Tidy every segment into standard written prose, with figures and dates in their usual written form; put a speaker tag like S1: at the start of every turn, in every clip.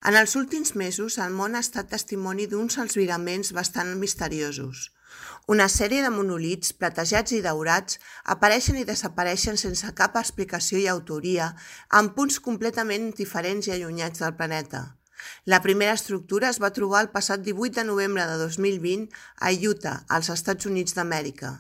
S1: En els últims mesos, el món ha estat testimoni d'uns albiraments bastant misteriosos. Una sèrie de monolits platejats i daurats apareixen i desapareixen sense cap explicació i autoria, en punts completament diferents i allunyats del planeta. La primera estructura es va trobar el passat 18 de novembre de 2020 a Utah, als Estats Units d'Amèrica.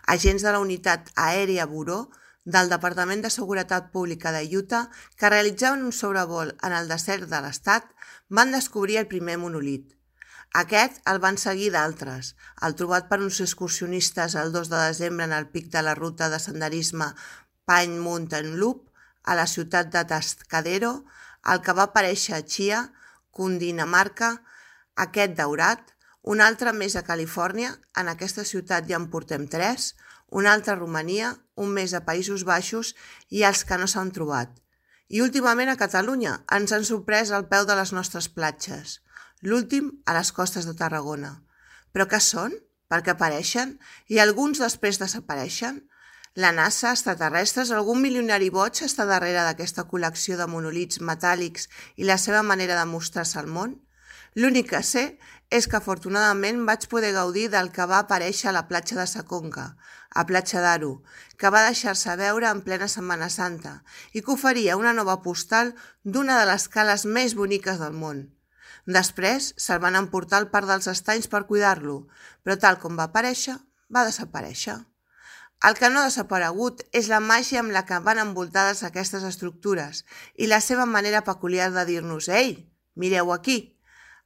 S1: Agents de la Unitat Aèria Buró del Departament de Seguretat Pública de Utah, que realitzaven un sobrevol en el desert de l'estat, van descobrir el primer monolit. Aquest el van seguir d'altres, el trobat per uns excursionistes el 2 de desembre en el pic de la ruta de senderisme Pine Mountain Loop, a la ciutat de Tascadero, el que va aparèixer a Chia, Cundinamarca, aquest daurat, un altre més a Califòrnia, en aquesta ciutat ja en portem 3, un altre a Romania, un més a Països Baixos i els que no s'han trobat. I últimament a Catalunya ens han sorprès al peu de les nostres platges, l'últim a les costes de Tarragona. Però què són? Per què apareixen? I alguns després desapareixen? La NASA, extraterrestres, algun milionari boig està darrere d'aquesta col·lecció de monolits metàl·lics i la seva manera de mostrar-se al món? L'únic que sé és que afortunadament vaig poder gaudir del que va aparèixer a la platja de Sa Conca, a Platja d'Aro, que va deixar-se veure en plena Setmana Santa i que oferia una nova postal d'una de les cales més boniques del món. Després se'l van emportar al Parc dels Estanys per cuidar-lo, però tal com va aparèixer, va desaparèixer. El que no ha desaparegut és la màgia amb la que van envoltades aquestes estructures i la seva manera peculiar de dir-nos «Ei, mireu aquí!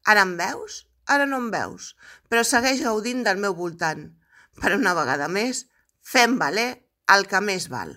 S1: Ara em veus? Ara no em veus, però segueix gaudint del meu voltant. Per una vegada més, fem valer el que més val».